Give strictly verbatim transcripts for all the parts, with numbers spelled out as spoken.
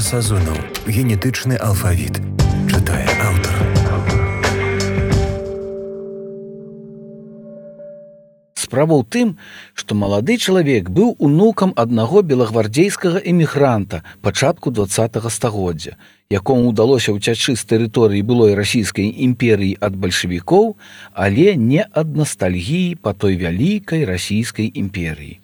Сазонаў. Генетычны алфавіт. Чытае аўтар. Справа ў тым, што малады чалавек быў унукам аднаго белагвардзейскага эмігранта пачатку дваццатага стагоддзя, якому ўдалося ўцячы з тэрыторыі былой расійскай імперыі ад бальшавікоў, але не ад настальгіі па той вялікай расійскай імперыі.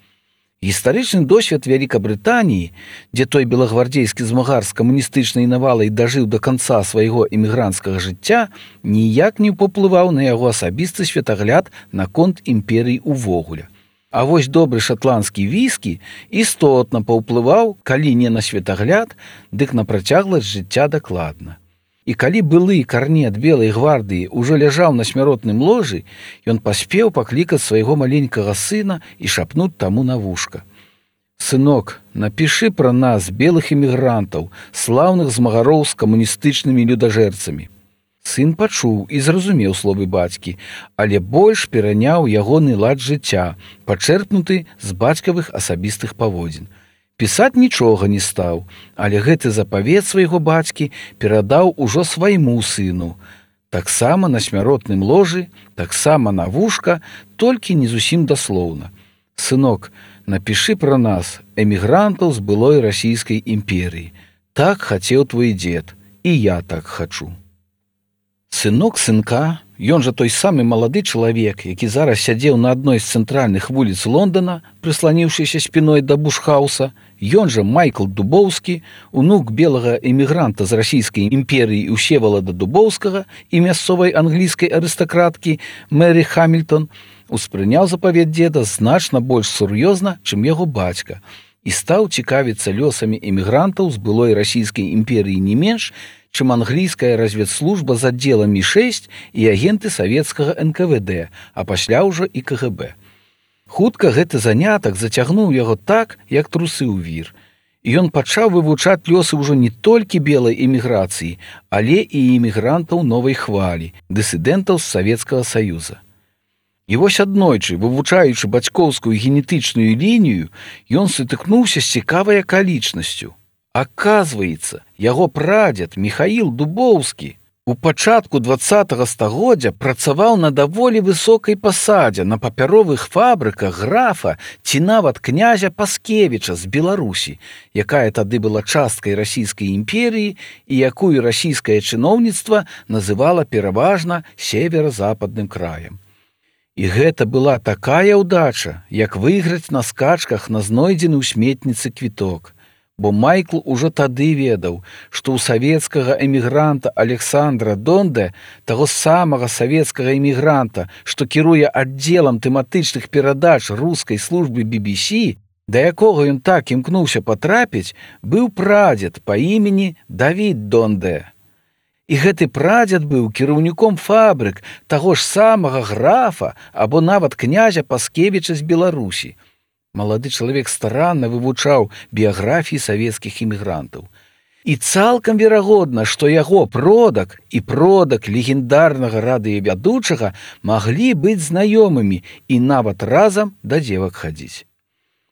Гістарычны досвед Вялікабрытаніі, дзе той белагвардзейскі змагар з камуністычнай навалай дажыў да канца свайго эмігранцкага жыцця, ніяк не паўплываў на яго асабісты светагляд наконт імперыі ўвогуле. А вось добры шатландскі віскі істотна паўплываў, калі не на светагляд, дык на працягласць жыцця дакладна. І калі былы карнет белай гвардыі ўжо ляжаў на смяротным ложы, ён паспеў паклікаць свайго маленькага сына і шапнуць таму на вушка. «Сынок, напішы пра нас, белых эмігрантаў, слаўных змагароў з камуністычнымі людажэрцамі». Сын пачуў і зразумеў словы бацькі, але больш пераняў ягоны лад жыцця, пачэрпнуты з бацькавых асабістых паводзін. Пісаць нічога не стаў, але гэты запавет свайго бацькі перадаў ужо свайму сыну. Таксама на смяротным ложы, таксама на вушка, толькі не зусім даслоўна. «Сынок, напішы пра нас, эмігрантаў з былой расійскай імперыі. Так хацеў твой дзед, і я так хачу». Сынок сынка, ён жа той самы малады чалавек, які зараз сядзеў на адной з цэнтральных вуліц Лондона, прысланіўшыся спіной да бушхауса, ён жа Майкл Дубоўскі, унук белага эмігранта з расійскай імперыі Усевалада Дубоўскага і мясцовай англійскай арыстакраткі Мэры Хамільтон, успрыняў запавет дзеда значна больш сур'ёзна, чым яго бацька, і стаў цікавіцца лёсамі эмігрантаў з былой расійскай імперыі не менш, чым англійская разведслужба з аддзелам эм шэсць і агенты савецкага эн ка вэ дэ, а пасля ўжо і ка гэ бэ. Хутка гэты занятак зацягнуў яго так, як трусы ў вір. І ён пачаў вывучаць лёсы ўжо не толькі белай эміграцыі, але і эмігрантаў новай хвалі, дысідэнтаў з Савецкага Саюза. І вось аднойчы, вывучаючы бацькоўскую генетычную лінію, ён сутыкнуўся з цікавай акалічнасцю. Аказваецца, яго прадзед Міхаіл Дубоўскі у пачатку дваццатага стагоддзя працаваў на даволі высокай пасадзе на папяровых фабрыках графа ці нават князя Паскевіча з Беларусі, якая тады была часткай расійскай імперіі і якую расійскае чыноўніцтва называла пераважна северо-западным краем. І гэта была такая ўдача, як выйграць на скачках на знойдзены ў сметніцы квіток. Бо Майкл ужо тады ведаў, што ў савецкага эмігранта Александра Донде, таго самага савецкага эмігранта, што кіруе аддзелам тэматычных перадач рускай службы би би сі, да якога ён так імкнуўся патрапіць, быў прадзед па імені Давід Донде. І гэты прадзед быў кіраўніком фабрык таго ж самага графа або нават князя Паскевіча з Беларусі. Малады чалавек старанна вывучаў біяграфіі савецкіх эмігрантаў. І цалкам верагодна, што яго продак і продак легендарнага радыёвядучага маглі быць знаёмымі і нават разам да дзевак хадзіць.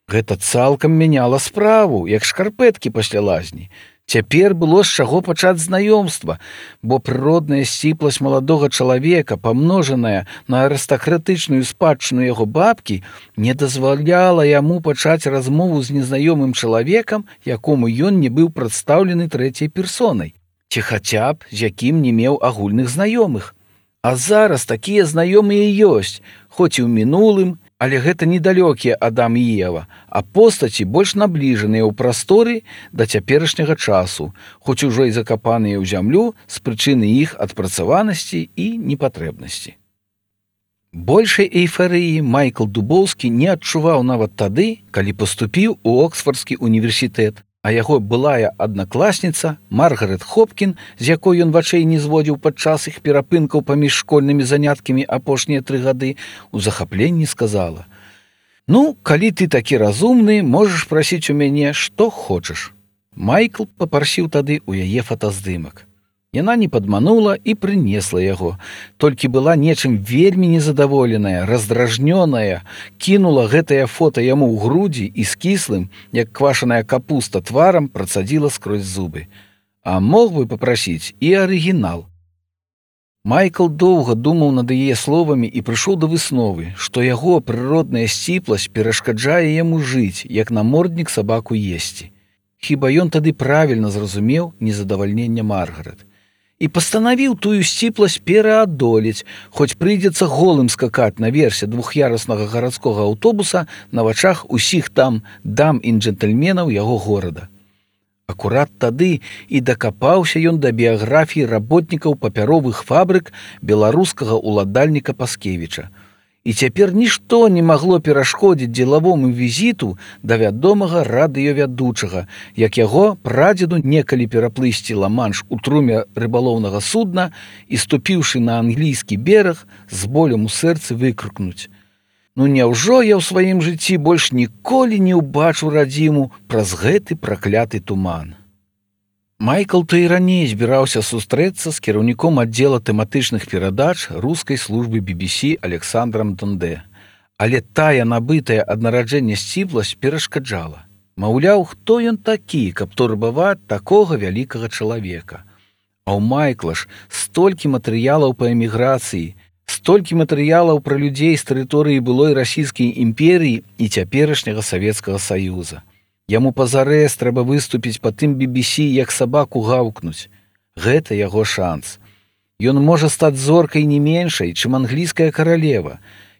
Гэта цалкам мяняла справу, як шкарпэткі пасля лазні. Цяпер было з чаго пачаць знаёмства, бо прыродная сціпласць маладога чалавека, памножаная на арыстакратычную спадчыну яго бабкі, не дазваляла яму пачаць размову з незнаёмым чалавекам, якому ён не быў прадстаўлены трэцяй персонай, ці хаця б з якім не меў агульных знаёмых. А зараз такія знаёмыя ёсць, хоць і ў мінулым, але гэта недалёкія Адам і Ева, а постаці больш набліжаныя ў прасторы да цяперашняга часу, хоць ужо і закапаныя ў зямлю з прычыны іх адпрацаванасці і непатрэбнасці. Большай эйфарыі Майкл Дубоўскі не адчуваў нават тады, калі паступіў у Оксфардскі універсітэт, а яго былая аднакласніца Маргарет Хопкін, з якой ён вачэй не зводзіў падчас іх перапынкаў паміж школьнымі заняткамі апошнія тры гады, у захапленні сказала: «Ну, калі ты такі разумны, можаш прасіць у мяне, што хочаш». Майкл папрасіў тады ў яе фотаздымак. Яна не падманула і прынесла яго. Толькі была нечым вельмі незадаволеная, раздражнёная, кінула гэтае фота яму ў грудзі і з кіслым, як квашаная капуста тварам, працадзіла скрозь зубы. А мог бы папрасіць і арыгінал. Майкл доўга думаў над яе словамі і прыйшоў да высновы, што яго прыродная сціпласць перашкаджае яму жыць, як наморднік сабаку есці. Хіба ён тады правільна зразумеў незадавальненне Маргарет. І пастанавіў тую сціпласць пераадолець, хоць прыйдзецца голым скакаць наверсе двух'яруснага гарадскога аўтобуса на вачах усіх там дам і джентльменаў яго горада. Акурат тады і дакапаўся ён да біяграфіі работнікаў папяровых фабрык беларускага ўладальніка Паскевіча. І цяпер нішто не магло перашкодзіць дзелавому візіту да вядомага радыёвядучага, як яго прадзеду некалі пераплысці ла-манш у труме рыбалоўнага судна і, ступіўшы на англійскі бераг, з болем у сэрцы выкрыкнуць: «Ну няўжо я ў сваім жыцці больш ніколі не ўбачу радзіму праз гэты пракляты туман?» Майкл то і раней збіраўся сустрэцца з кіраўніком аддзела тэматычных перадач рускай службы би би сі Александрам Дондэ. Але тая набытая ад нараджэння сціпласць перашкаджала. Маўляў, хто ён такі, каб турбаваць такога вялікага чалавека? А ў Майкла ж столькі матэрыялаў па эміграцыі, столькі матэрыялаў пра людзей з тэрыторыі былой расійскай імперіі і цяперашняга Савецкага Саюза. Яму пазарэз трэба выступіць па тым би би сі, як сабаку гаўкнуць. Гэта яго шанс. Ён можа стаць зоркай не меншай, чым англійская каралева.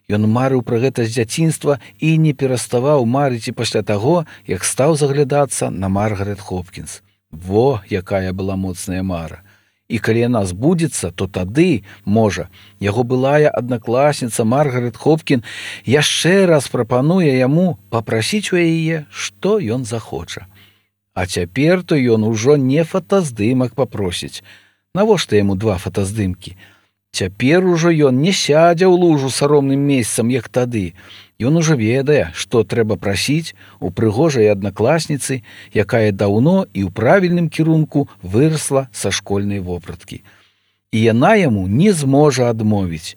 Ён марыў пра гэта з дзяцінства і не пераставаў марыць і пасля таго, як стаў заглядацца на Маргарет Хопкінс. Во, якая была моцная мара. І калі яна збудзецца, то тады, можа, яго былая аднакласніца Маргарет Хопкін яшчэ раз прапануе яму папрасіць у яе, што ён захоча. А цяпер то ён ужо не фотаздымак папросіць. Навошта яму два фотаздымкі? Цяпер ужо ён не сядзе ў лужу саромным месцам, як тады. Ён ужо ведае, што трэба прасіць у прыгожай аднакласніцы, якая даўно і ў правільным кірунку вырасла са школьнай вопраткі. І яна яму не зможа адмовіць.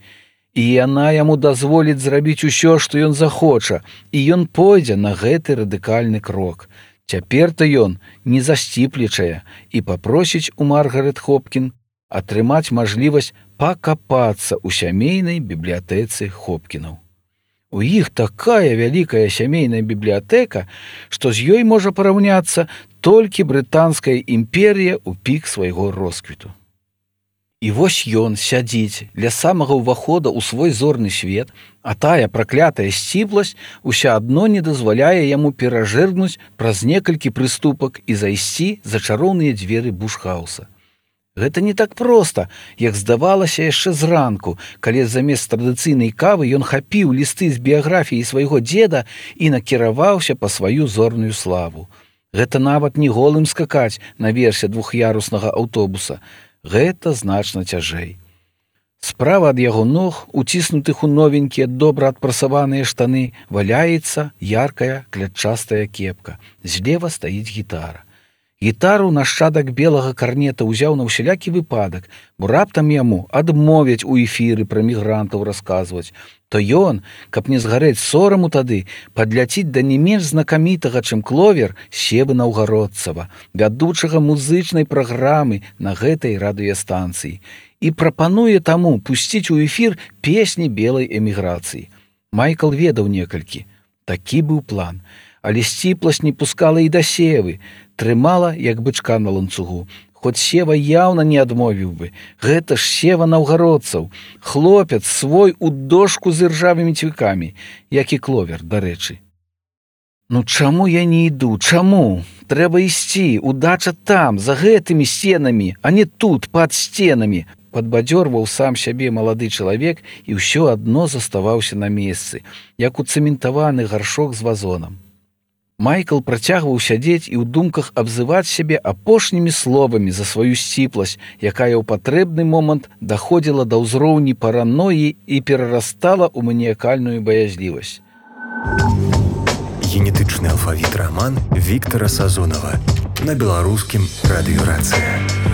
І яна яму дазволіць зрабіць усё, што ён захоча, і ён пойдзе на гэты радыкальны крок. Цяпер-то ён не засціплічае і папросіць у Маргарет Хопкін атрымаць мажлівасць пакапацца ў сямейнай бібліятэцы Хопкінаў. У іх такая вялікая сямейная бібліятэка, што з ёй можа параўняцца толькі брытанская імперія ў пік свайго росквіту. І вось ён сядзіць ля самага ўвахода ў свой зорны свет, а тая праклятая сціпласць уся адно не дазваляе яму перажэргнуць праз некалькі прыступак і зайсці за чароўныя дзверы бушхауса. Гэта не так проста, як здавалася яшчэ зранку, калі замест традыцыйнай кавы ён хапіў лісты з біяграфіі свайго дзеда і накіраваўся па сваю зорную славу. Гэта нават не голым скакаць наверсе двух'яруснага аўтобуса. Гэта значна цяжэй. Справа ад яго ног, уціснутых у новенькія добра адпрасаваныя штаны, валяецца яркая клятчастая кепка. Злева стаіць гітара. Гітару нашчадак белага карнета ўзяў на ўсялякі выпадак, бо раптам яму адмовяць у эфіры пра мігрантаў расказваць. То ён, каб не згарэць сораму тады, падляціць да не менш знакамітага, чым Кловер, Севы Наўгародцава, вядучага музычнай праграмы на гэтай радыёстанцыі, і прапануе таму пусціць у эфір песні белай эміграцыі. Майкл ведаў некалькі. Такі быў план. Але сціпласць не пускала і да Севы, трымала, як бычка на ланцугу. Хоць Сева яўна не адмовіў бы. Гэта ж Сева Наўгародцаў, хлопец свой у дошку з іржавымі цвікамі, як і Кловер, дарэчы. Ну чаму я не іду? Чаму? Трэба ісці, удача там, за гэтымі сценамі, а не тут, пад сценамі. Падбадзёрваў сам сябе малады чалавек і ўсё адно заставаўся на месцы, як у цэментаваны гаршок з вазонам. Майкл працягваў сядзець і ў думках абзываць сябе апошнімі словамі за сваю сціпласць, якая ў патрэбны момант даходзіла да ўзроўні параноі і перарастала ў маніякальную баязлівасць. Генетычны алфавіт раман Віктара Сазонава на беларускім радыёрацыя.